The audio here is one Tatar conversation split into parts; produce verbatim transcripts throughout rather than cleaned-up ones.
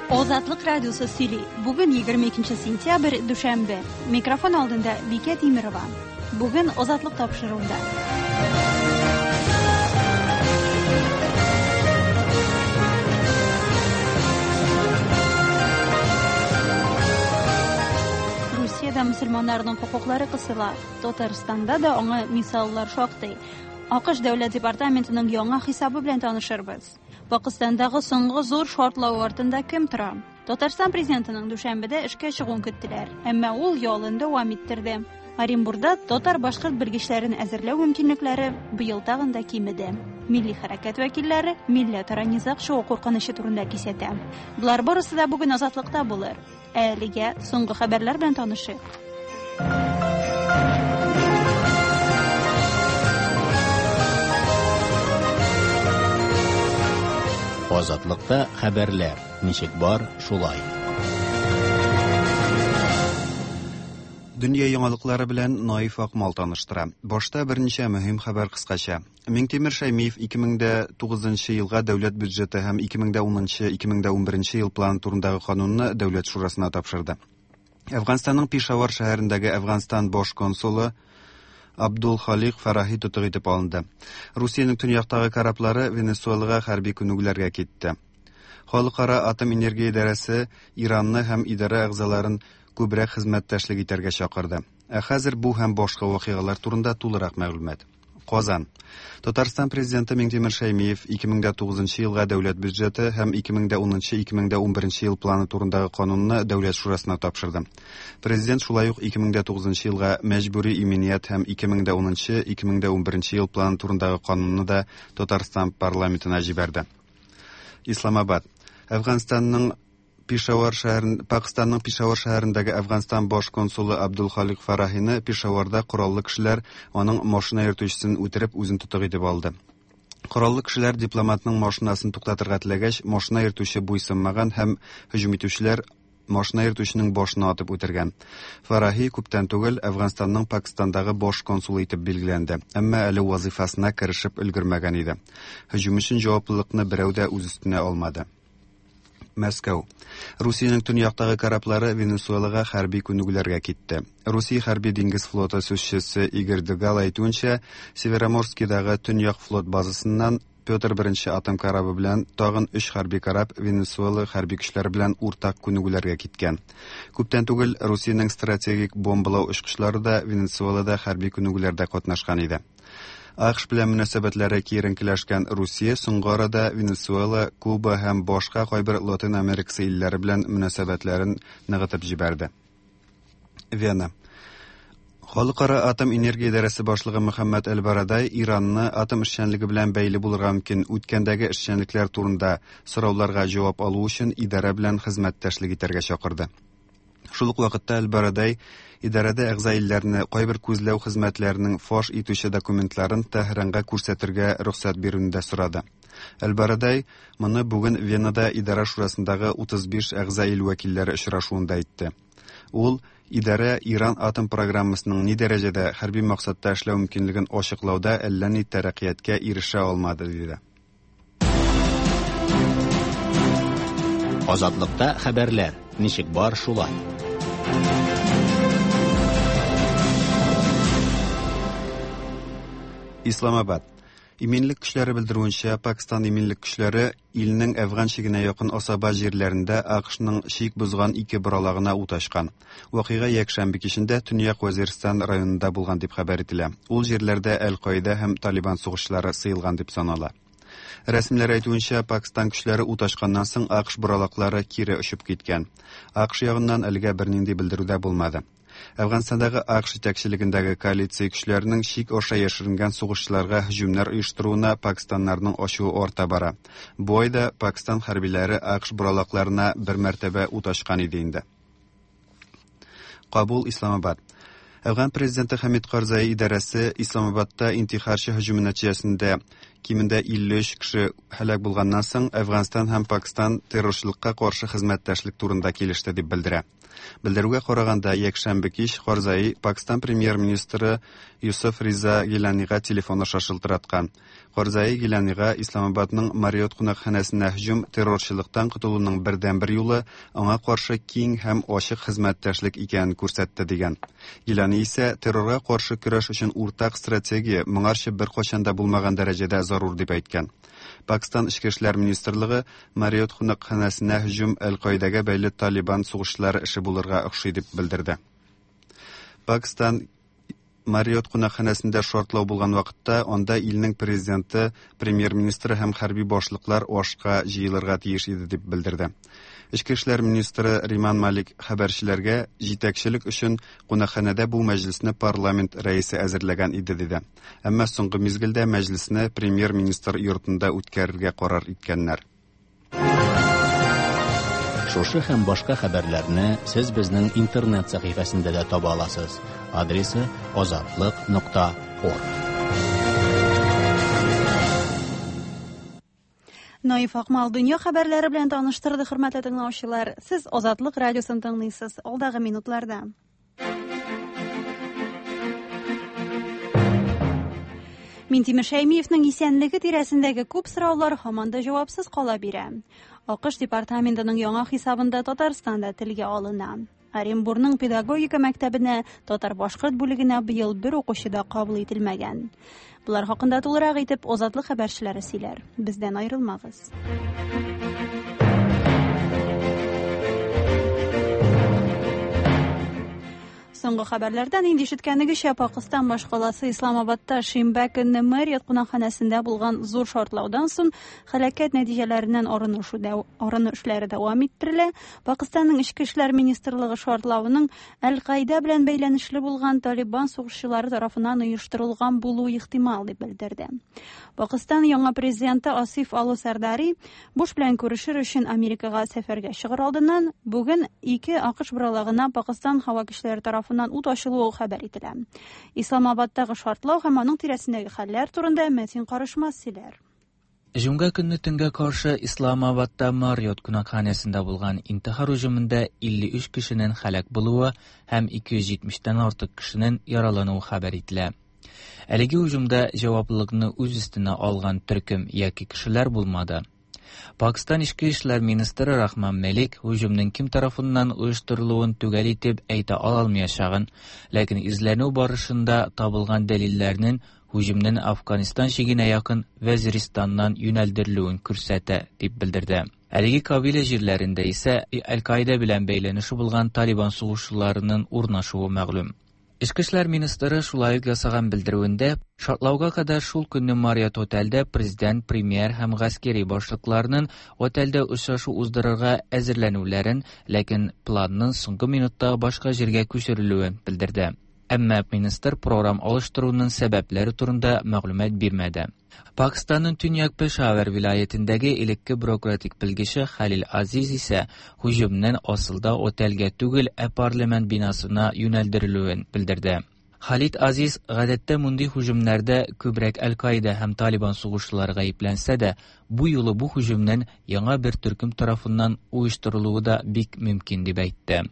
Азатлык радиосы сөйли. Бүген егерме икенче сентябрь, дүшәмбе. Микрофон алдында Бикә Тимирова. Бүген Азатлык тапшыруында. Русиядә мөселманнарның хокуклары кысыла. Татарстанда да аңа мисаллар шактый. АКШ Дәүләт департаментының яңа хисабы белән танышырбыз. Пакистандагы соңгы зур шартлау артында кем тора? Татарстан президентының дүшәмбедә эшкә чыгуын көттеләр, әмма ул ялын дәвам иттерде. Оренбургда татар-башкорт белгечләрен әзерләү мөмкинлекләре быел тагын да кимеде. Милли хәрәкәт вәкилләре милләтара низаг чыгу куркынычы турында кисәтә. Болар барысы да бүген Азатлыкта булыр. Ә әлегә соңгы хәбәрләр белән танышыйк. Азатлыкта хәбәрләр ничек бар, шулай. Дөнья яңалыклары белән Наиф Акмал таныштыра. Башта берничә мөһим хәбәр кыскача. Миңтимер Шәймиев ике мең дә тугызынчы елга дәүләт бюджеты һәм ике мең дә унынчы, ике мең дә унберенче ел планы турындагы канунны Дәүләт шурасына тапшырды. Әфганстанның Пешавар шәһәрендәге Әфганстан баш консулы Абдул Халик Фарахи тотык итеп алынды. Русиянең төньяктагы кораблары Венесуэлага хәрби күнегүләргә китте. Халыкара атом энергия идарәсе Иранны һәм идарә әгъзаларын күбрәк хезмәттәшлек итәргә чакырды. Ә хәзер бу һәм башка вакыйгалар турында тулырак мәгълүмат. Казан. Татарстан президенты Миңтимер Шәймиев ике мең дә тугызынчы елга дәүләт бюджеты һәм ике мең дә унынчы, ике мең дә унберенче ел планы турындагы канунны Дәүләт шурасына тапшырды. Президент шулай ук ике мең дә тугызынчы елга мәҗбүри иминият һәм ике мең дә унынчы, ике мең дә унберенче ел планы турындагы канунны да Татарстан парламентына җибәрде. Исламабад. Әфганстанның Пешавар шәһәрен, Пакистанның Пешавар шәһәрендәге Әфганстан баш консулы Абдул Халик Фарахины Пешаварда кораллы кешеләр аның машина йөртүчесен үтереп үзен тотык итеп алды. Кораллы кешеләр дипломатның машинасын туктатырга теләгәч, машина йөртүче буйсынмаган һәм һөҗүм итүчеләр машина йөртүченең башына атып үтергән. Фарахи күптән түгел Әфганстанның Пакистандагы баш консулы итеп билгеләнде, әмма әле вазифасына керешеп өлгермәгән иде. Һөҗүм өчен җаваплылыкны берәү дә үз өстенә алмады. Мәскәү. Русиянең төньяктагы кораблары Венесуэлага хәрби күнегүләргә китте. Русия хәрби диңгез флоты сүзчесе Игорь Дегал әйтүенчә, Североморскидагы төньяк флот базасыннан Петр беренче атом корабы белән тагын өч хәрби кораб Венесуэла хәрби көчләре белән уртак күнегүләргә киткән. Күптән түгел Русиянең стратегик бомбалау очкычлары да Венесуэлада хәрби күнегүләрдә катнашкан иде. АКШ белән мөнәсәбәтләре киеренкеләшкән Русия соңгы арада Венесуэла, Куба һәм башка кайбер Латин Америкасы илләре белән мөнәсәбәтләрен ныгытып җибәрде. Вена. Халыкара атом энергия идарәсе башлыгы Мөхәммәд Әл-Барадай Иранны атом эшчәнлеге белән бәйле булырга мөмкин үткәндәге эшчәнлекләр турында сорауларга җавап алу өчен идарә белән хезмәттәшлек итәргә чакырды. Шул ук вакытта Әл-Барадай идарәдә әгъза илләрне кайбер күзләү хезмәтләренең фаш итүче документларын Тәһранга күрсәтергә рөхсәт бирүен дә сорады. Әл-Барадай моны бүген Венада идарә шурасындагы утыз биш әгъза ил вәкилләре очрашуында әйтте. Ул идарә Иран атом программасының ни дәрәҗәдә хәрби максатта эшләү мөмкинлеген ачыклауда әллә ни тәрәккыятькә ирешә алмады, диде. Азатлыкта хәбәрләр ничек бар, шулай. Исламабад. Иминлек көчләре белдерүенчә, Пакистан иминлек көчләре илнең Әфган чигенә якын Асаба җирләрендә АКШның чик бозган ике боралагына ут ачкан. Вакыйга якшәмбе кичендә Төньяк Вазиристан районында булган дип хәбәр ителә. Ул җирләрдә Әл-Каида һәм Талибан сугышчылары сыелган дип санала. Рәсмиләр әйтүенчә, Пакистан көчләре ут ачканнан соң АКШ боралаклары кире очып киткән. АКШ ягыннан әлегә бернинди белдерү дә булмады. Әфганстандагы АКШ җитәкчелегендәге коалиция көчләренең чик аша яшеренгән сугышчыларга һөҗүмнәр оештыруына пакистаннарның ачуы арта бара. Бу айда Пакистан хәрбиләре АКШ боралакларына бер мәртәбә ут ачкан иде инде. Кабул, Исламабад. Әфган президенты Хамид Карзай идарәсе Исламабадта интихарчы һөҗүме нәтиҗәсендә кимендә илле өч кеше һәлак булганнан соң Әфганстан һәм Пакистан террорчылыкка каршы хезмәттәшлек турында килеште дип белдерә. Белдерүгә караганда, якшәмбе кич Карзай Пакистан премьер-министры Юсуф Риза Гиланига телефон аша шылтыраткан. Карзай Гиланига Исламабадның Marriott кунакханәсенә һөҗүм террорчылыктан котылуның бердәнбер юлы аңа каршы киң һәм ачык хезмәттәшлек икәнен күрсәтте дигән. Гилани исә террорга каршы көрәш өчен уртак стратегия моңарчы беркайчан да булмаган дәрәҗәдә зарур дип әйткән. Пакистан Эчке эшләр министрлыгы Marriott кунакханәсенә һөҗүм Әл-Каидәгә бәйле Талибан сугышчылары эше булырга охшый дип белдерде. Пакистан Marriott кунакханәсендә шартлау булган вакытта анда илнең президенты, премьер-министры һәм хәрби башлыклар ашка җыелырга тиеш иде дип белдерде. Эчке эшләр министры Риман Малик хәбәрчеләргә җитәкчелек өчен кунакханәдә бу мәҗлесне парламент рәисе әзерләгән иде диде. Әмма соңгы мизгелдә мәҗлесне премьер-министр йортында үткәрергә карар иткәннәр. Шушы һәм башка хәбәрләрне сез безнең интернет сәхифәсендә дә таба аласыз. Адресы азатлык нокта орг. Наиф Акмал дөнья хәбәрләре белән таныштырды, хөрмәтле тыңлаучылар. Сез Азатлык радиосын тыңлыйсыз. Алдагы минутларда Минтимер Шәймиевнең исәнлеге тирәсендәге күп сораулар һаман да җавапсыз кала бирә. АКШ департаментының яңа хисабында Татарстан да телгә алына. Оренбургның педагогика мәктәбенә татар-башкорт бүлегенә быел бер укучы да кабул ителмәгән. Булар хакында тулырак итеп Азатлык хәбәрчеләре сөйләр. Бездән аерылмагыз. Соңгы хәбәрләрдән инде ишеткәнегезчә, Пакистан башкаласы Исламабадта шимбә көнне Marriott кунакханәсендә булган зур шартлаудан соң һәлакәт нәтиҗәләреннән арынышу арыну эшләре дәвам иттерелә. Пакистанның Эчке эшләр министрлыгы шартлавының Әл-Каида белән бәйләнешле булган Талибан сугышчылары тарафыннан оештырылган булуы ихтимал дип белдерде. Пакистан яңа президенты Асиф Али Сардари Буш белән күрешер өчен Америкага сәфәргә чыгыр алдыннан бүген ике АКШ боралагына Пакистан һава көчләре тарафыннан ут ачылуы хәбәр ителә. Исламабадтагы шартлау һәм аның тирәсендәге хәлләр турында Мәтин Карышмас сөйләр. Җомга көнне төнгә каршы Исламабадта Marriott кунакханәсендә булган интихар һөҗүмендә илле өч кешенең һәлак булуы һәм ике йөз җитмештән артык кешенең яралануы хәбәр ителә. Әлеге һөҗүмдә җаваплылыкны үз өстенә алган төркем яки кешеләр булмады. Пакистан Эчке эшләр министры Рахман Мәлик һөҗүмнең кем тарафыннан оештырылуын төгәл итеп әйтә алмаячагын, ләкин эзләнү барышында табылган дәлилләрнең һөҗүмнең Афганистан чигенә якын Вәзиристаннан юнәлдерелүен күрсәтә дип белдерде. Әлеге кабилә җирләрендә исә Әл-Каида белән бәйләнеше булган Талибан сугышчыларының урнашуы мәгълүм. Эчке эшләр министры шулай ук ясаган белдерүендә шартлауга кадәр шул көнне Marriott отельдә президент, премьер һәм гаскәри башлыкларының отельдә очрашу уздырырга әзерләнүләрен, ләкин планның соңгы минутта башка җиргә күчерелүен белдерде. Әмма министр программ алыштыруның сәбәпләре турында мәгълүмат бирмәде. Пакистанның Төньяк Пешавар вилаятендәге элекке бюрократик белгече Халил Азиз исә һөҗүмнең асылда отельгә түгел, ә парламент бинасына юнәлдерелүен белдерде. Халид Азиз гадәттә мондый һөҗүмнәрдә күбрәк Әл-Каида һәм Талибан сугышчылары гаепләнсә дә, бу юлы бу һөҗүмнең яңа бер төркем тарафыннан оештырылуы да бик мөмкин дип әйтте.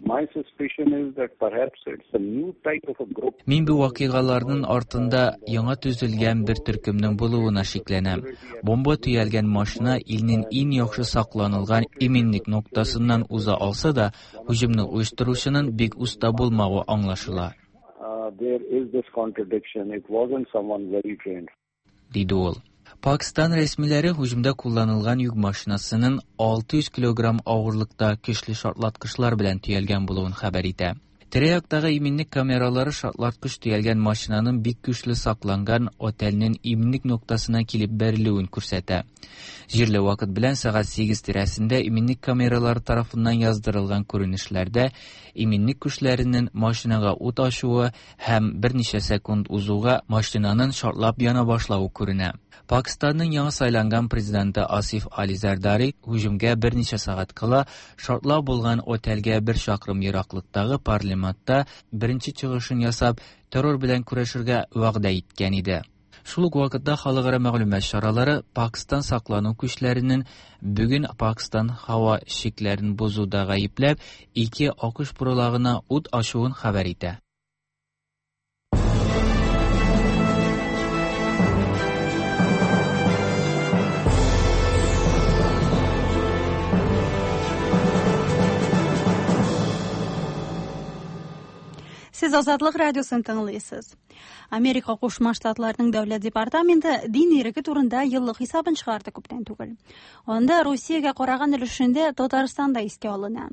Мин бу вакыйгаларның артында яңа төзелгән бер төркемнең булуына шикләнәм. Бомба төялгән машина илнең иң яхшы сакланылган иминлек ноктасыннан уза алса да, һөҗүмне оештыручының бик уста булмавы аңлашыла. There is this contradiction. It wasn't someone very trained. Диде ул. Пакистан рәсмиләре һөҗүмдә кулланылган йөк машинасының алты йөз килограмм авырлыкта көчле шартлаткычлар белән төялгән булуын хәбәр итә. Тирә-яктагы иминлек камералары шартлаткыч төялгән машинаның бик көчле сакланган отельнең иминлек ноктасына килеп бәрелүен күрсәтә. Җирле вакыт белән сәгать сигез тирәсендә иминлек камералары тарафыннан яздырылган күренешләрдә иминлек көчләренең машинага ут ачуы һәм берничә секунд узуга машинаның шартлап яна башлавы күренә. Пакистанның яңа сайланган президенты Асиф Али Зардари һөҗүмгә берничә сәгать кала шартлау булган отельгә бер чакрым ераклыктагы парламентта беренче чыгышын ясап, террор белән көрәшергә вәгъдә иткән иде. Шул ук вакытта халыкара мәгълүмат чаралары Пакистан саклану күчләренең бүген Пакистан һава чикләрен бозуда гаепләп, ике АКШ буралагына ут ачуын хәбәр итә. Сез Азатлык радиосын тыңлыйсыз. Америка Кушма Штатларының Дәүләт департаменты дин иреге турында еллык хисабын чыгарды күптән түгел. Анда Русиягә караган өлешендә Татарстан да искә алына.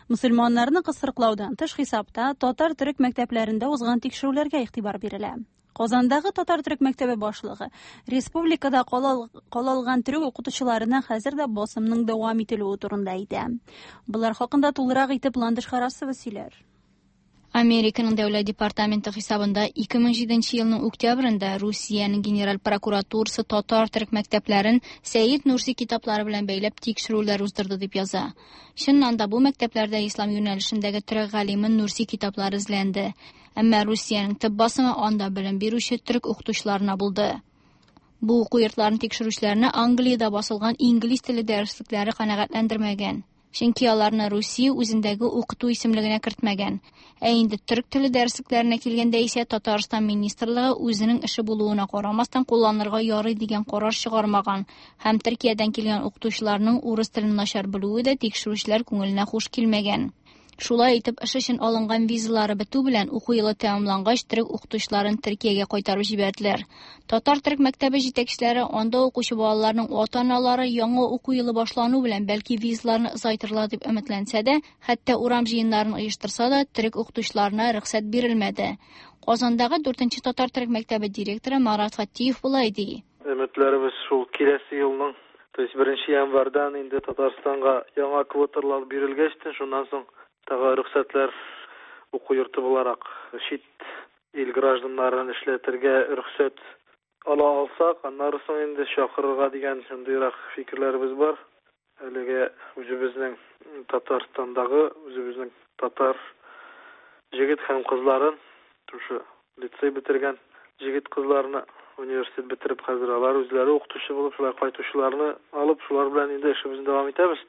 Мөселманнарны кысрыклаудан тыш хисапта татар төрек мәктәпләрендә узган тикшерүләргә игътибар бирелә. Казандагы татар төрек мәктәбе башлыгы республикада калалган төрек укытучыларына хәзер дә басымның дәвам ителүе турында әйтә. Болар хакында тулырак итеп Ландыш Харасова сөйләр. Американың Дәүләт департаменты хисабында ике мең җиденче елның октябрендә Русиянең генераль прокуратурасы татар төрек мәктәпләрен Сәйид Нурси китаплары белән бәйләп тикшерүләр уздырды дип яза. Чыннан да бу мәктәпләрдә ислам юнәлешендәге төрек галиме Нурси китаплары эзләнде. Әмма Русиянең төп басымы анда белем бирүче төрек укытучыларына булды. Бу уку йортларын тикшерүчеләрне Англиядә басылган инглиз теле дәреслекләре канәгатьләндермәгән. Чөнки аларны Русия үзендәге укыту исемлегенә кертмәгән. Ә инде төрек теле дәреслекләренә килгәндә исә Татарстан министрлыгы үзенең эше булуына карамастан кулланырга ярый дигән карар чыгармаган һәм Төркиядән килгән укытучыларның урыс телен начар белүе дә тикшерүчеләр күңеленә хуш килмәгән. Шулай итеп, эш өчен алынган визалары бетү белән уку елы тәмамлангач, төрек укытучыларын Төркиягә кайтарып җибәрделәр. Татар төрек мәктәбе җитәкчеләре анда укучы балаларның ата-аналары яңа уку елы башлану белән бәлки визаларны озайтырлар дип өметләнсә дә, хәтта урам җыеннарын оештырса да, төрек укытучыларына рөхсәт бирелмәде. Казандагы дүртенче татар төрек мәктәбе директоры Марат Фаттиев болай ди. Өметләребез шул киләсе елның, то есть беренче январьдан инде Татарстанга яңа квоталар бирелгәч, шуннан соң тагы рөхсәтләр уку йорты буларак чит ил гражданнарын эшләтергә рөхсәт ала алсак, аннары соң инде чакырырга дигән шундыйрак фикерләребез бар. Әлегә үзебезнең Татарстандагы үзебезнең татар җегет һәм кызларын, шушы лицей бетергән җегет кызларны университет бетереп хәзер алар үзләре укытучы булып шулай кайтучыларны алып, шулар белән инде эшебезне дәвам итәбез.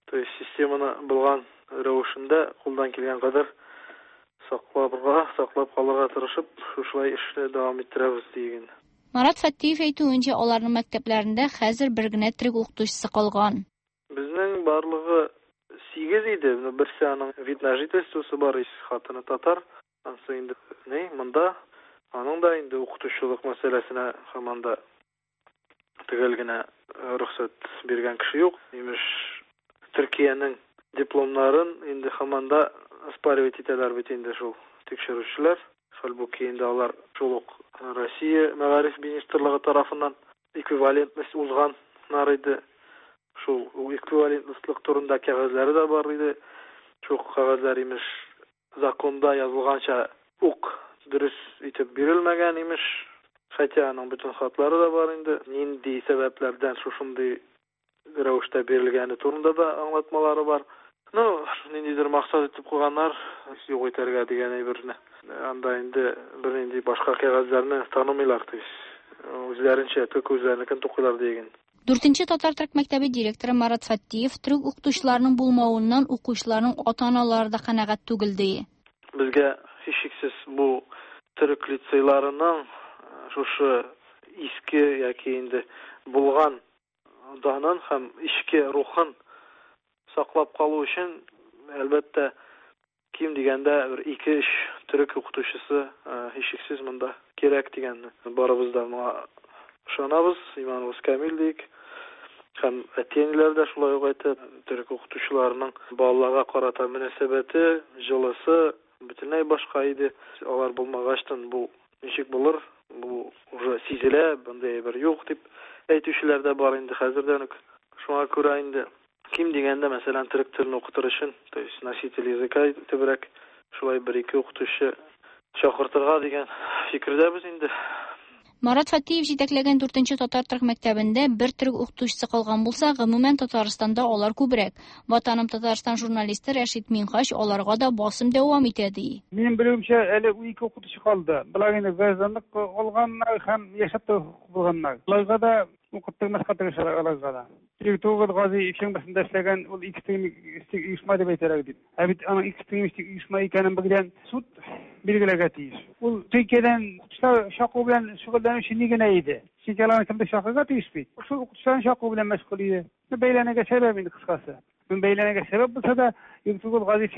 То есть системаны булган рәвешендә кулдан килгән кадәр сакларга, саклап калырга тырышып, шушылай эшне дәвам иттерәбез диген. Марат Фаттиев әйтүенчә, аларның мәктәпләрендә хәзер бер генә төрек укытучысы калган. Безнең барлыгы сигез иде. Берсе аның вид на жительствосы бар, хатыны татар. Ансы инде ни, монда аның да инде укытучылык мәсьәләсенә һаман да төгәл генә рөхсәт биргән кеше юк. Имеш, Төркиянең дипломнарын инде һаман да оспаривать итәләр бит инде шул тикшерүчеләр. Хәлбуки инде алар шул ук Россия мәгариф министрлыгы тарафыннан эквивалентность узганнар иде. Шул эквивалентностьлык турында кәгазьләре дә бар иде. Шул кәгазьләр имеш законда язылганча ук дөрес итеп бирелмәгән имеш. Хотя аның бөтен хатлары да бар инде. Нинди сәбәпләрдән шушындый рәвештә бирелгәне турында да аңлатмалары бар. Ну, ниндидер максат итеп куйганнар, юк итәргә дигән әйберне. Анда инде бернинди башка кәгазьләрне танымыйлар, то есть үзләренчә тик үзләренекен тукыйлар диген. Дүртенче татар төрек мәктәбе директоры Марат Фаттиев төрек укытучыларының булмавыннан укучыларның ата-аналары да канәгать түгел ди. Безгә һичшиксез бу төрек лицейларының шушы иске яки инде булган данын һәм эчке рухын саклап калу өчен әлбәттә ким дигәндә бер ике-өч төрек укытучысы һичшиксез монда кирәк дигәнне барыбыз да моңа ышанабыз, иманыбыз камил диек. Һәм әти-әниләр дә шулай ук әйтә, төрек укытучыларының балаларга карата мөнәсәбәте, җылысы бөтенләй башка иде. Алар булмагачтан бу ничек булыр, бу уже сизелә, bunday бер юк дип әйтүчеләр дә бар инде хәзердән үк. Шуңа күрә инде ким дигәндә, мәсәлән, төрек телен укытыр өчен, то есть носитель языка итебрәк шулай бер-ике укытучы чакыртырга дигән фикердәбез инде. Марат Фатиев җитәкләгән дүртенче татар төрек мәктәбендә бер төрек укытучысы калган булса, гомумән Татарстанда алар күбрәк. Ватаным Татарстан журналисты Рәшит Минһаҗ аларга да басым дәвам итә ди. Минем белүемчә, әле ике укытучы калды. Болар инде гражданлык алганнар һәм яшәп булганнар. Аларга да укыттырмаска тырышалар аларга да. Тугыз Гази икшәмбесендә эшләгән ул экстремистик оешма дип әйтәләр дип. Ә бит аның экстремистик оешма икәнен белгән суд билгеләргә тиеш. Ул Төркиядән укытучылар чакыру белән шөгыльләнүче ни генә иде. Чөнки аларны кемдер чакырырга тиеш бит. Шул укытучыларны чакыру белән мәшгуль иде. Бәйләнергә сәбәп инде кыскасы. Бәйләнергә сәбәп булса да, Тугыз Гази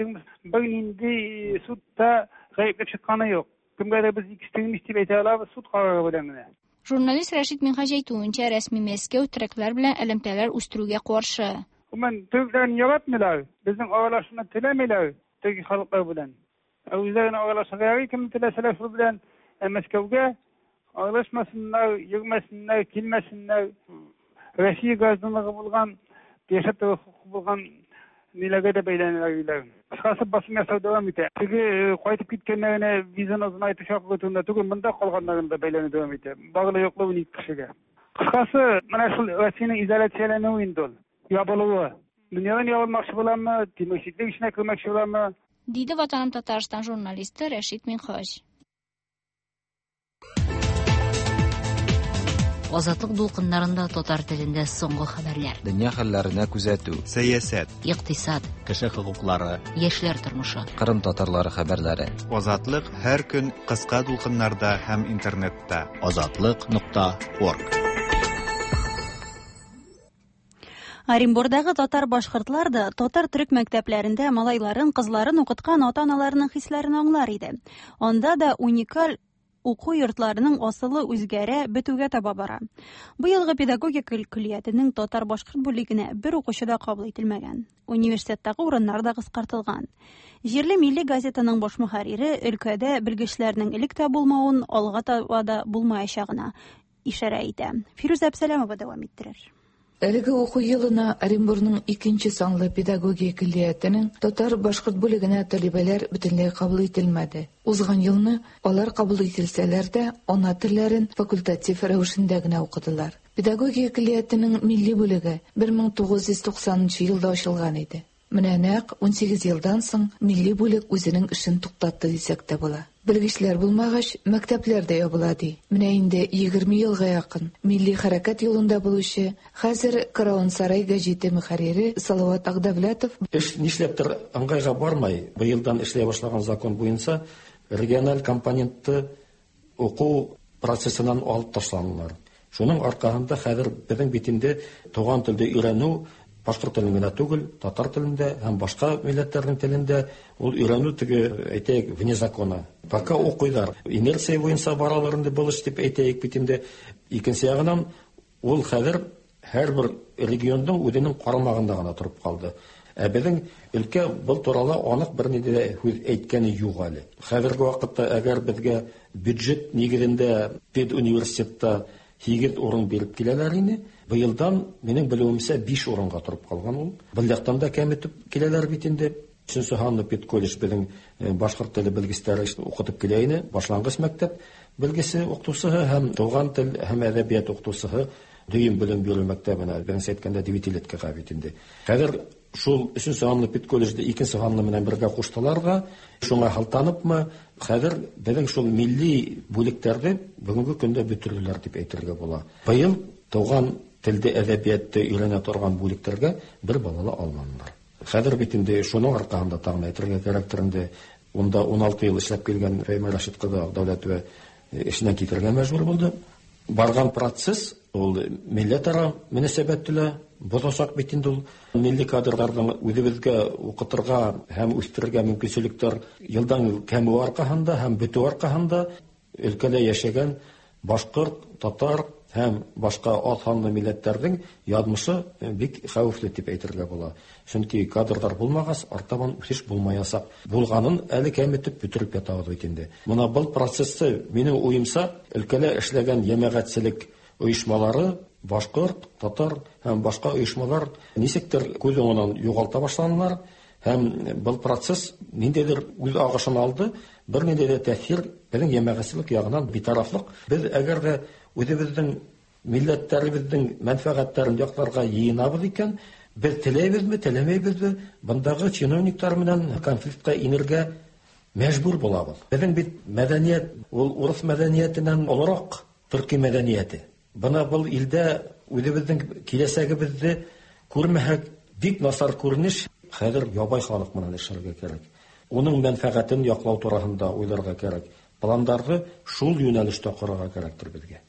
бер нинди судта гаепләп чыкканы юк. Кемгәдер без экстремист дип әйтә алабыз, суд карары белән генә. Журналист Рәшит Минһаҗ әйтүенчә, рәсми Мәскәү төрекләр белән элемтәләр үстерүгә каршы. Гомумән, төрекләрне яратмыйлар, безнең аралашуны теләмиләр төрки халыклар белән. Үзләрен аралашырга ярый, кем теләсәләр шул белән, ә Мәскәүгә аралашмасыннар, йөрмәсеннәр, килмәсеннәр. Россия гражданлыгы булган, яшәп тору хокукы булган ниләргә дә бәйләнәләр. Кыскасы, басым ясау дәвам итә. Теге кайтып киткәннәренә визаны озынайту чакыру турында түгел, монда калганнарын да бәйләнү дәвам итә. Барлы юклы унике кешегә. Кыскасы, менә шул Россиянең изоляцияләнүе инде ул, ябылуы. Дөньядан ябылмакчы буламы, тимерчеклек эченә кермәкче буламы? Диде Ватаным Татарстан журналисты Рәшит Минһаҗ. Азатлык дулкыннарында татар телендә соңгы хәбәрләр. Дөнья хәлләренә күзәтү, сәясәт, икътисад, кеше хокуклары, яшьләр тормышы, Кырым татарлары хәбәрләре. Азатлык һәр көн кыска дулкыннарда һәм интернетта. Азатлык нокта орг. Оренбурдагы татар-башкортлар да татар төрек мәктәпләрендә малайларын, кызларын укыткан ата-аналарының хисләрен аңлар иде. Анда да уникаль уку йортларының асылы үзгәрә, бетүгә таба бара. Бу елгы педагогика көллиятенең татар-башкорт бүлегенә бер укучы да кабул ителмәгән. Университеттагы урыннар да кыскартылган. Җирле милли газетаның баш мөхәррире өлкәдә белгечләрнең элек тә булмавын, алга таба да булмаячагына ишарә итә. Фирүзә Әбсәләмова дәвам иттерер. Әлеге уку елына Оренбурның икенче санлы педагогия көллиятенең татар-башкорт бүлегенә талибәләр бөтенләй кабул ителмәде. Узган елны алар кабул ителсәләр дә, ана телләрен факультатив рәвешендә генә укыдылар. Педагогия көллиятенең милли бүлеге бер мең тугыз йөз туксанынчы елда ачылган иде. Менә нәкъ ун сигез елдан соң милли бүлек үзенең эшен туктатты дисәк тә була. Белгечләр булмагач, мәктәпләр дә ябыла ди. Менә инде егерме елга якын милли хәрәкәт юлында булучы, хәзер Каравон Сарай гәҗите мөхәррире Салават Агдавлятов эш нишләптер ыңгайга бармай. Быелдан эшләй башлаган закон буенча региональ компонентты уку процессыннан алып ташланалар. Шуның аркасында хәзер безнең бит инде туган телдә өйрәнү башкорт телен генә түгел, татар телендә һәм башка милләтләрнең телендә ул өйрәнү теге әйтәйек вне закона. Пока укыйлар, инерция буенча баралар инде был эш дип әйтәйек бит инде. Икенче ягынан ул хәзер һәрбер регионның үзенең карамагында гына торып калды. Ә безнең өлкә был туралы анык бернинди дә һүз әйткәне юк әле. Хәзерге вакытта әгәр безгә бюджет нигезендә педуниверситетта һигез урын биреп киләләр инде. Быелдан минем белүемчә биш урынга торып калган ул. Был яктан да кәметеп киләләр бит инде. Өченче һанлы педколледж безнең башкорт теле белгечләре укытып килә ине. Башлангыч мәктәп белгесе укытучысы һәм туган тел һәм әдәбият укытучысы дөйем белем бирү мәктәбенә, беренче әйткәндә девятилеткага бит инде. Хәзер шул өченче һанлы педколледжда икенче һанлы белән бергә куштылар да, шуңа халтаныпмы, хәзер безнең шул милли бүлекләрне бүгенге көндә бетерделәр дип әйтергә була. Быел туган телдә әдәбиятты өйрәнә торган бүлекләргә бер бала алмадылар. Хәзер бит инде шуның аркасында тагын әйтергә кирәктер инде, унда ун алты ел эшләп килгән Фәймә Рәшит кызы Дәүләтова эшеннән китәргә мәҗбүр булды. Барган процесс ул милләтара мөнәсәбәт теле бозасак бит инде ул. Милли кадрларның үзебезгә укытырга һәм үстерергә мөмкинчелекләр елдан ел кәмү аркасында һәм бетү аркасында өлкәдә яшәгән башкорт, татар һәм башка аз санлы милләтләрнең язмышы бик хәвефле дип әйтергә була. Чөнки кадрлар булмагач, артабан үсеш булмаячак. Булганын әле кәметеп бетереп ятабыз бит инде. Мына был процессты минем уемча өлкәдә эшләгән җәмәгатьчелек оешмалары, башкорт, татар һәм башка оешмалар ничектер күз уңыннан югалта башладылар. Һәм был процесс ниндәйдер үз агышын алды, бер ниндәй дә тәэсир безнең җәмәгатьчелек ягыннан битарафлык. Без әгәр дә Үзебезнең милләтләребезнең мәнфәгатьләрен якларга йыйынабыз икән, без теләйбезме, теләмәйбезме, бындагы чиновниклар белән конфликтка инергә мәҗбүр булабыз. Безнең бит мәдәният, ул урыс мәдәниятеннән олырак төрки мәдәнияте. Бына был илдә үзебезнең киләсәгебезне күрмәһәк, бик насар күренеш. Хәзер ябай халык менән эшләргә кирәк. Уның мәнфәгатен яклау турасында уйларга кирәк. Пландарны шул юнәлештә корырга кирәктер безгә.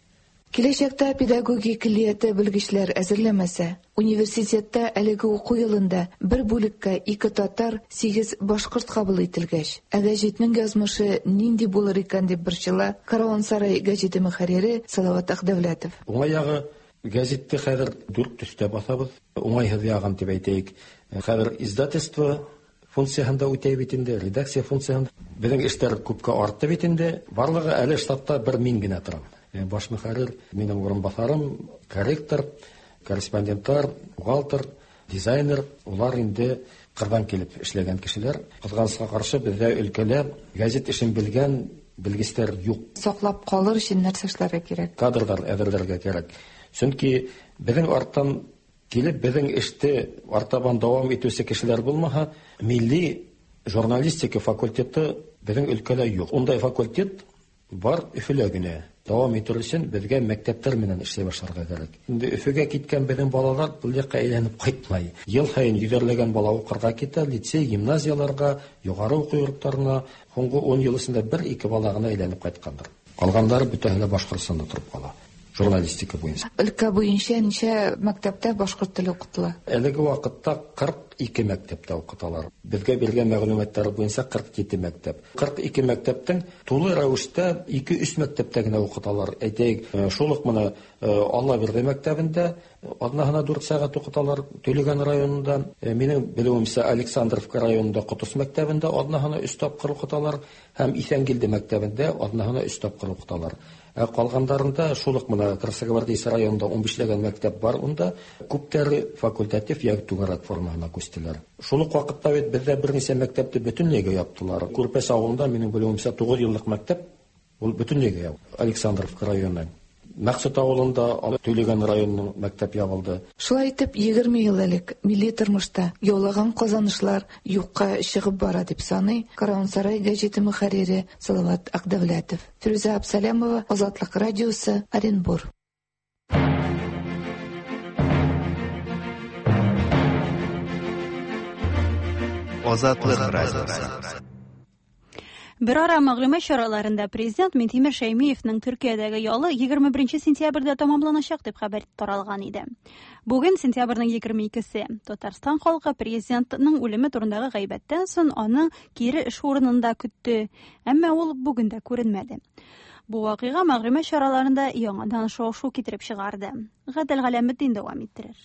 Киләчәктә педагогия көллияте белгечләр әзерләмәсә, университетта әлеге уку елында бер бүлеккә ике татар, сигез башкорт кабул ителгәч, ә гәҗитнең язмышы нинди булыр икән дип борчыла Караван-Сарай гәҗите мөхәррире Салават Акдәүләтов. Уңай ягы гәзитте хәзер дүрт төстә басабыз. Уңайһыз ягын дип әйтәйек. Хәзер издательство функцияһында үтәй бит инде, редакция функцияһында. Безнең эшләр күпкә артты бит инде. Барлыгы әле штатта бер мин генә торам. Баш мөхәррир, минем урынбасарым, корректор, корреспондентлар, бухгалтер, дизайнер, улар инде кырдан килеп эшләгән кешеләр. Кызганычка каршы бездә өлкәлә гәзит эшен белгән белгечләр юк. Саклап калыр өчен нәрсә эшләргә кирәк? Кадрлар әзерләргә кирәк. Чөнки безнең арттан килеп безнең эште артабан дәвам итүче кешеләр булмаһа, милли журналистика факультеты безнең өлкәдә юк. Ундай факультет бар Өфөлә генә. Дәвам итү өчен безгә мәктәпләр белән эшләй башларга кирәк. Инде Өфөгә киткән безнең балалар бу якка әйләнеп кайтмай. Ел саен йөзәрләгән бала укырга китә, лицей, гимназияларга, югары уку йортларына. Соңгы ун ел эчендә бер-ике бала гына әйләнеп кайткандыр. Калганнары бөтенләй Башкортстанда торып кала. Журналистика буенча. Өлкә буенча ничә мәктәптә башкорт теле укытыла? Әлеге вакытта кырык ике мәктәптә укыталар. Безгә биргән мәгълүматлар буенча кырык җиде мәктәп. Кырык ике мәктәптең тулы рәвештә ике-өч мәктәптә генә укыталар. Әйтәйек, шул ук менә Аллабирде мәктәбендә атнаһына дүрт сәгать укыталар, Төлегән районында, минем белүемчә, Александровка районында Котыс мәктәбендә атнаһына өч тапкыр укыталар һәм Иҫәнгилде мәктәбендә атнаһына өч тапкыр укыталар. Ә калгандарында шул ук менә Красногвардейск районында унбишләгән мәктәп бар, унда күптәре факультатив яки түгәрәк формаһына күчтеләр. Шул ук вакытта бит бездә берничә мәктәпте бөтенләйгә яптылар. Күрпәс авылында минем белүемчә тугыз еллык мәктәп ул бөтенләйгә ябылды. Александровка районы. Мәксут авылында Төлегән районының мәктәп ябылды. Шулай итеп, егерме ел элек милли тормышта яулаган казанышлар юкка чыгып бара дип саный Караван-Сарай гәҗите мөхәррире Салават Акдәүләтов. Фирүзә Абсалямова, Азатлык радиосы, Оренбур. Азатлык радиосы. Бер ара мәгълүмат чараларында президент Минтимер Шәймиевның Төркиядәге ялы егерме беренче сентябрьдә тәмамланачак дип хәбәр таралган иде. Бүген сентябрьнең егерме икесе. Татарстан халкы президентның үлеме турындагы гайбәттән соң аны кире эш урынында көтте, әмма ул бүген дә күренмәде. Бу вакыйга мәгълүмат чараларында яңадан шау-шу китереп чыгарды. Гадел Галәметдин дәвам иттерер.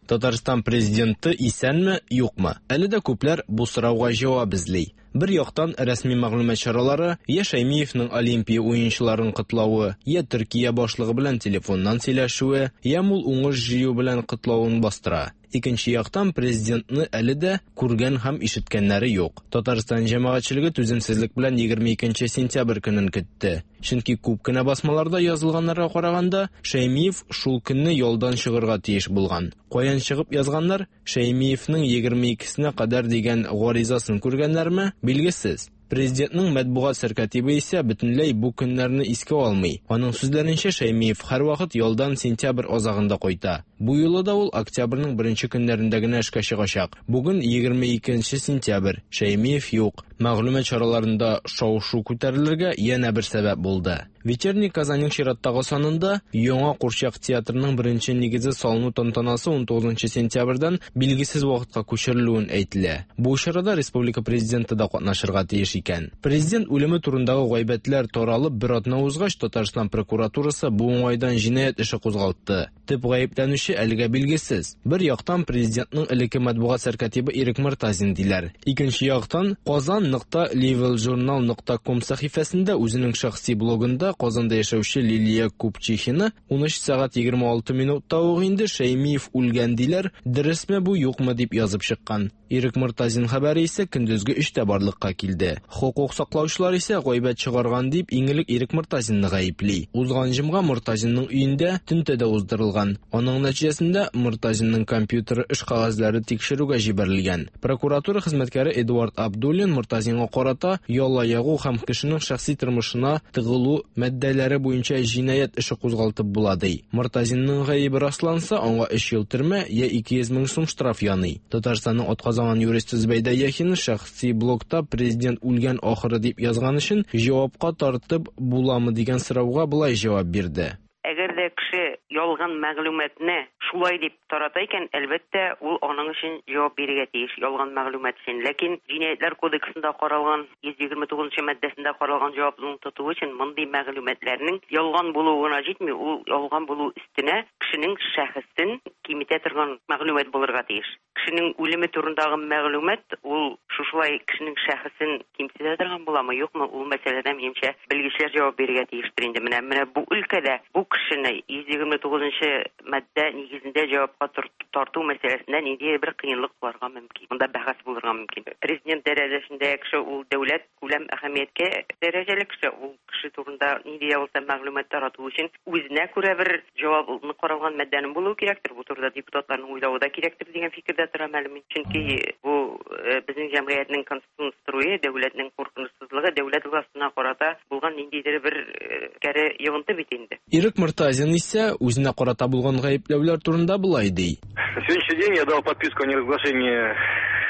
Татарстан президенты исәнме, юкмы? Әле дә күпләр бу сорауга җавап эзли. Бер яктан рәсми мәгълүмат чаралары я Шәймиевның Олимпия уенчыларын котлавы, я Төркия башлыгы белән телефоннан сөйләшүе, я мул уңыш җыю белән котлавын бастыра. Икенче яктан президентны әле дә күргән һәм ишеткәннәре юк. Татарстан җәмәгатьчелеге түземсезлек белән егерме икенче сентябрь көнен көтте. Чөнки күп кенә басмаларда язылганнарга караганда, Шәймиев шул көнне ялдан чыгарга тиеш булган. Каян чыгып язганнар, Шәймиевның егерме икесенә кадәр дигән гаризасын күргәннәрме, билгесез. Президентның матбугат сәркатибе исә бөтенләй бу көннәрне искә алмый. Аның сүзләренчә, Шәймиев һәрвакыт ялдан сентябрь азагында кайта. Бу юлы да ул октябрьнең беренче көннәрендә генә эшкә чыгачак. Бүген егерме икенче сентябрь. Шәймиев юк. Мәгълүмат чараларында шау-шу күтәрелергә янә бер сәбәп булды. Вечерний Казанның чираттагы санында яңа курчак театрының беренче нигезе салыну тантанасы ун тугызынчы сентябрьдән билгесез вакытка күчерелүен әйтелә. Бу чарада республика президенты да катнашырга тиеш икән. Президент үлеме турындагы гайбәтләр таралып бер атна узгач, Татарстан прокуратурасы бу уңайдан җинаять эше кузгалтты. Төп гаепләнүче әлегә билгесез. Бер яктан президентның элекке матбугат сәркатибы Ирек Мортазин диләр. Икенче яктан Казан нокта левелжурнал нокта ком сәхифәсендә үзенең шәхси блогында Казанда яшәүче Лилия Купчихина ун өч сәгать егерме алты минутта ук инде Шәймиев үлгән диләр, дөресме бу юкмы дип язып чыккан. Ирек Мортазин хәбәре исә көндезге өчтә барлыкка килде. Хокук саклаучылар исә гайбәт чыгарган дип иң элек Ирек Мортазинны гаепли. Узган җомга Мортазинның өендә тентү дә уздырылган. Аның нәтиҗәсендә Мортазинның компьютеры эш кәгазьләре тикшерүгә җибәрелгән. Прокуратура хезмәткәре Эдуард Абдуллин Мортазинга карата яла ягу һәм кешенең шәхси тормышына тыгылу маддәләре буенча җинаять эше кузгалтып була ди. Мортазинның гаебе расланса, аңа өч ел төрмә я ике йөз мең сум штраф яный. Татарстанның атказанган юристы Зөбәйдә Яхина шәхси блогта президент үлгән ахыры дип язган өчен җавапка тартып буламы дигән сорауга болай җавап бирде. Әгәр дә кеше ялган мәгълүматны шулай дип тарата икән, әлбәттә, ул аның өчен җавап бирергә тиеш, ялган мәгълүмат өчен. Ләкин Җинаятьләр кодексында каралган йөз егерме тугызынчы маддәсендә каралган җаваплылыкны тоту өчен мондый мәгълүматларның ялган булуы гына җитми, ул ялган булу өстенә кешенең шәхесен киметә торган мәгълүмат булырга тиеш. Кешенең үлеме турындагы мәгълүмат ул шушылай кешенең шәхесен кимсетә торган буламы, юкмы, ул мәсьәләдә минемчә белгечләр җавап бирергә тиештер инде. Менә менә бу өлкәдә бу кешене йөз егерме тугызынчы маддә нигезендә җавапка тарту мәсьәләсендә ниндидер бер кыенлык булырга мөмкин. Монда бәхәс булырга мөмкин. Президент дәрәҗәсендә кеше ул дәүләт күләм әһәмияткә дәрәҗәле кеше, ул кеше турында нинди дә булса мәгълүмат тарату өчен үзенә күрә бер җаваплылыкны каралган маддәнең булуы кирәктер. Бу турыда депутатларның уйлавы да кирәктер дигән фикердә торам әле мин. Чөнки бу безнең җәмгыятьнең конституцион струе, дәүләтнең куркынычсызлыгы, дәүләт властына карата булган ниндидер бер кәре йогынты бит инде. Ирек Мортазин исә үзенә карата булган гаепләүләр турында болай ди. На сегодняшний день я дал подписку о неразглашении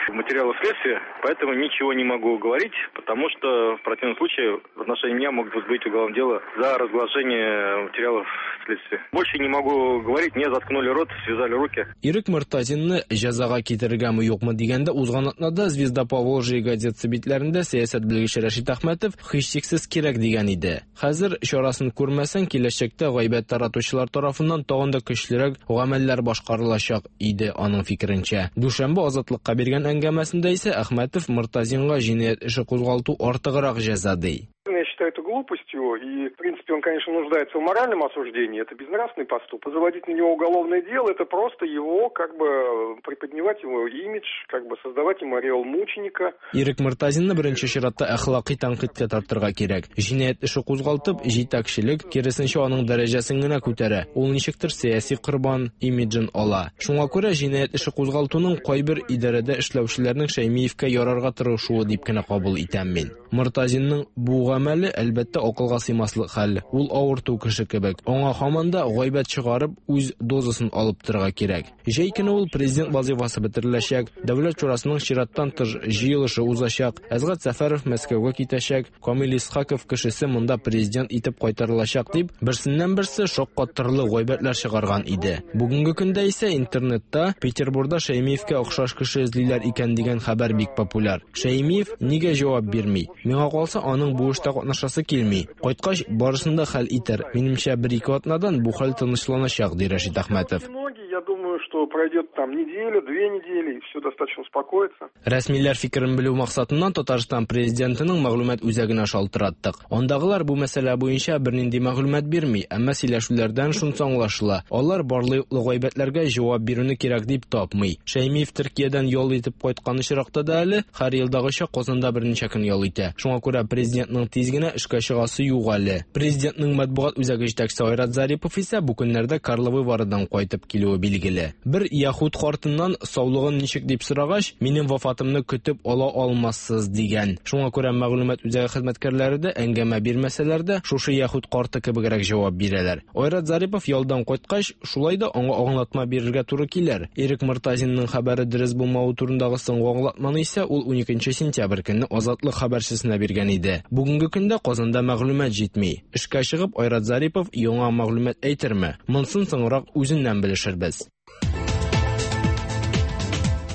материалов следствия, поэтому ничего не могу говорить, потому что в противном случае в отношении меня могут возбудить уголовное дело за разглашение материалов следствия. Больше не могу говорить, мне заткнули рот, связали руки. Ирек Мортазинны җәзага китерергәме юкмы дигәндә узган атнада Звезда Поволжья газетасы битләрендә сәясәт белгече Рәшит Әхмәтов һичшиксез кирәк дигән иде. Хәзер чарасын күрмәсәң, киләчәктә гайбәт таратучылар тарафыннан тагын да көчлерәк гамәлләр башкарылачак иде аның фикеренчә. Дүшәмбе Азатлыкка биргән әңгәмәсендә исә Әхмәтов Мортазинга җинаять эше кузгалту артыграк җәза ди. Я считаю это глупостью, и, в принципе, он, конечно, нуждается в моральном осуждении, это безнравственный поступок. Заводить на него уголовное дело, это просто его, как бы, приподнимать его имидж, как бы, создавать ему ореол мученика. Ирек Мортазинны беренче чиратта әхлакый тәнкыйтькә тартырга кирәк. Җинаять эше кузгалтып, җитәкчелек киресенчә аның дәрәҗәсен генә күтәрә. Ул ничектер сәяси корбан имиджын ала. Шуңа күрә җинаять эше кузгалтуның кайбер идарәдә эшләүчеләрнең Шәймиевкә ярарга тырышуы дип кенә кабул итәм мин. Мортазинның бу гамәле әлбәттә акылга сыймаслык хәл. Ул авырту кеше кебек. Аңа һаман да гайбәт чыгарып, үз дозасын алып торырга кирәк. Җәй көне ул президент вазифасы бетереләчәк, Дәүләт шурасының чираттан тыш җыелышы узачак, Әсгать Сәфәров Мәскәүгә китәчәк, Камил Исхаков кешесе монда президент итеп кайтарылачак дип, берсеннән берсе шаккатырлык гайбәтләр чыгарган иде. Бүгенге көндә исә интернетта Петербурда Шәймиевкә охшаш кеше эзлиләр икән дигән хәбәр бик популяр. Шәймиев нигә җавап бирми? Миңа калса, аның бу эштә катнашасы килми. Кайткач, барысын да хәл итәр. Минемчә, бер-ике атнадан бу хәл тынычланачак, ди Рәшит Әхмәтов. Я думаю, что пройдет там неделя, две недели, и все достаточно успокоится. Рәсмиләр фикерен белү максатыннан Татарстан президентының мәгълүмат үзәгенә шалтыраттык. Андагылар бу мәсьәлә буенча бернинди мәгълүмат бирми, әмма сөйләшүләрдән шунысы аңлашыла. Алар барлык гайбәтләргә җавап бирүне кирәк дип тапмый. Шәймиев Төркиядән ял итеп кайткан очракта да әле һәр елдагыча Казанда берничә көн ял итә. Шуңа күрә президентның тиз генә эшкә чыгасы юк әле. Президентның матбугат үзәге җитәкчесе Айрат Зарипов исә бу көннәрдә Карловы Варыдан кайтып килүе билгеле. Бер яһүд картыннан саулыгын ничек дип сорагач, минем вафатымны көтеп ала алмассыз дигән. Шуңа күрә мәгълүмат үзәге хезмәткәрләре дә әңгәмә бирмәсәләр дә, шушы яһүд карты кебегрәк җавап бирәләр. Айрат Зарипов ялдан кайткач, шулай да аңа аңлатма бирергә туры килер. Ирек Мортазинның хәбәре дөрес булмавы турындагы соңгы аңлатманы исә ул уникенче сентябрь көнне Азатлык хәбәрчесенә биргән иде. Бүгенге көндә Казанда мәгълүмат җитми. Эшкә чыгып Айрат Зарипов яңа мәгълүмат әйтерме? Монсын соңрак үзеннән белешербез.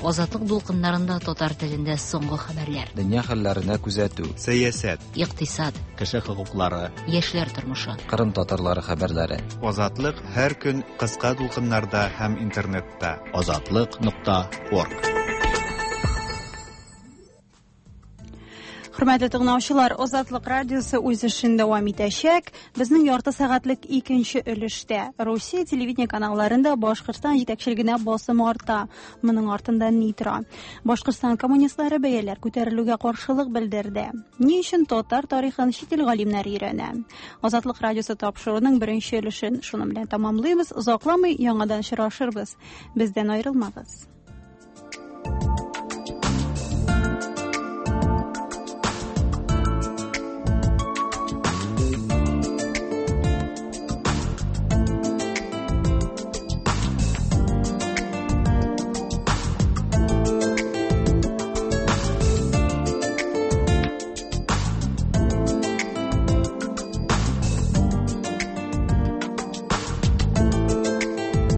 Азатлык дулкыннарында татар телендә соңгы хәбәрләр. Дөнья хәлләренә күзәтү. Сәясәт. Икътисад. Кеше хокуклары. Яшьләр тормышы. Кырым татарлары хәбәрләре. Азатлык һәр көн кыска дулкыннарда һәм интернетта. Азатлык нокта орг. Хөрмәтле тыңлаучылар, Азатлык радиосы үз эшен дәвам итәчәк. Безнең ярты сәгатьлек икенче өлештә Русия телевидение каналларында Башкортстан җитәкчелегенә басым арта. Моның артында ни тора? Башкортстан коммунистлары бәяләр күтәрелүгә каршылык белдерде. Ни өчен татар тарихын чит ил галимнәре өйрәнә? Азатлык радиосы тапшыруының беренче өлешен шуның белән тәмамлыйбыз. Озакламый яңадан очрашырбыз. Бездән аерылмагыз.